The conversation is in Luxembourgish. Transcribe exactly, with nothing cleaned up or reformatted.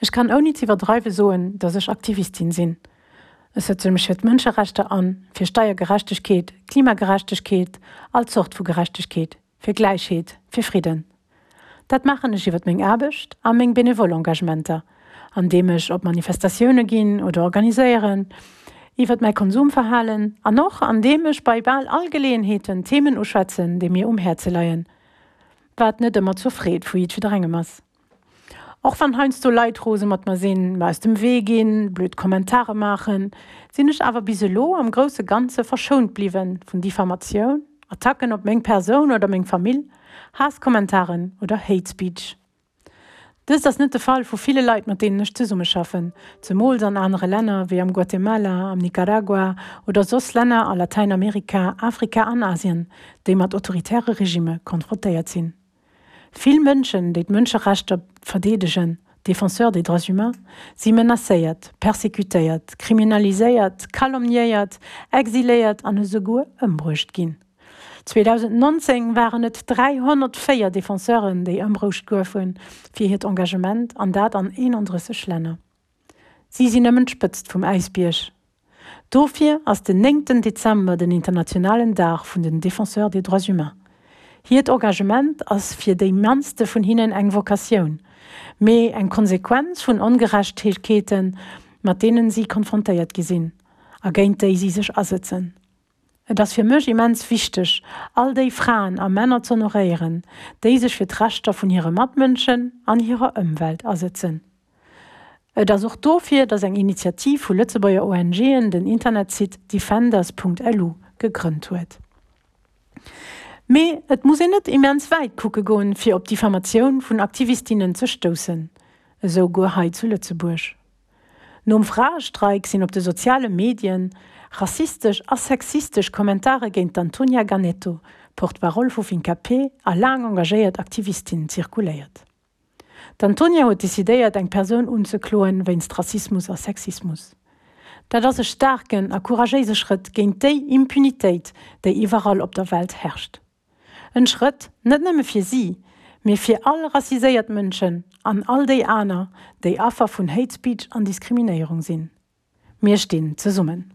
Ech kann ouni z'iwwerdreiwe soen, dass ech Aktivistin sinn. Ech sëtze mech fir d'Mënscherechter an, fir Steiergerechtegkeet, Klimagerechtegkeet, all Zort vu Gerechtegkeet, fir Gläichheet, fir Fridden. Dat maachen ech iwwert meng Aarbecht a meng benevol Engagementer, andeem ech op Manifestatioune ginn oder organiséieren, iwwert mäi Konsumverhalen an och andeem ech bei bal all Geleeënheeten Themen uschwätzen, déi mir um Häerze leien, wat net ëmmer zur Freed vu jiddwerengem ass. Och wann heiansdo Leit rose mat mer sinn, mer aus dem Wee ginn, blöd Kommentare maachen, sinn ech awer bis elo am grousse Ganze verschount bliwwe vun Diffamatioun, Attacken op meng Persoun oder meng Famill, Haasskommentaren oder Hate Speech. Dëst ass net de Fall vu ville Leit, mat deenen ech zesummeschaffen, zemools an anere Länner wéi am Guatemala, am Nicaragua oder soss Länner a Latäinamerika, Afrika an Asien, déi mat autoritäre Regimme konfrontéiert sinn. Vill Mënschen, déi d'Mënscherechter verdeedegen, Défenseurs des droits humains, si menacéiert, persecutéiert, kriminaliséiert, calomniéiert, exiléiert an esouguer ëmbruecht ginn. zweedausendnonzéng waren et dräihonnertvéier Defenseuren, déi ëmbruecht goufe fir hiert Engagement, an dat an eenandrësseg Länner. Si sinn nëmmen d'Spëtzt vum Äisbierg. Dofir ass den néngten Dezember den internationalen Dag vun den Défenseurs des droits humains. Hiert Engagement ass fir déi mannste vun hinnen eng Vocatioun, mee eng Konsequenz vun Ongerechtegkeeten, mat deenen si konfrontéiert gi sinn a géint déi si sech asëtzen. Et ass fir mech immens wichteg, all déi Fraen a Männer z'honoréieren, déi sech fir d'Rechter vun hire Matmënschen an hirer Ëmwelt asëtzen. Et ass och dofir, datt eng Initiativ vu Lëtzebuerger ONGen den Internetsite defenders.lu gegrënnt huet. Mee et muss een net immens wäit kucke goen, fir op Diffamatioun vun Aktivistinnen ze stoussen, esou guer hei zu Lëtzebuerg. Nom Fraestreik sinn op de soziale Medien rassistesch a sexistesch Kommentare géint d'Antonia Ganetto, Porte-parole vu Fincapé a laang engagéiert Aktivistin, zirkuléiert. D'Antonia huet decidéiert, eng Persoun unzekloen wéinst Rassismus a Sexismus. Dat ass e staarken a couragéise Schrëtt géint déi Impunitéit, déi iwwerall op der Welt herrscht. En Schrëtt net nëmme fir si, mee fir all rassiséiert Mënschen an all déi aner, déi Affer vun Hate Speech an Diskriminéierung sinn. Mir stinn zesummen.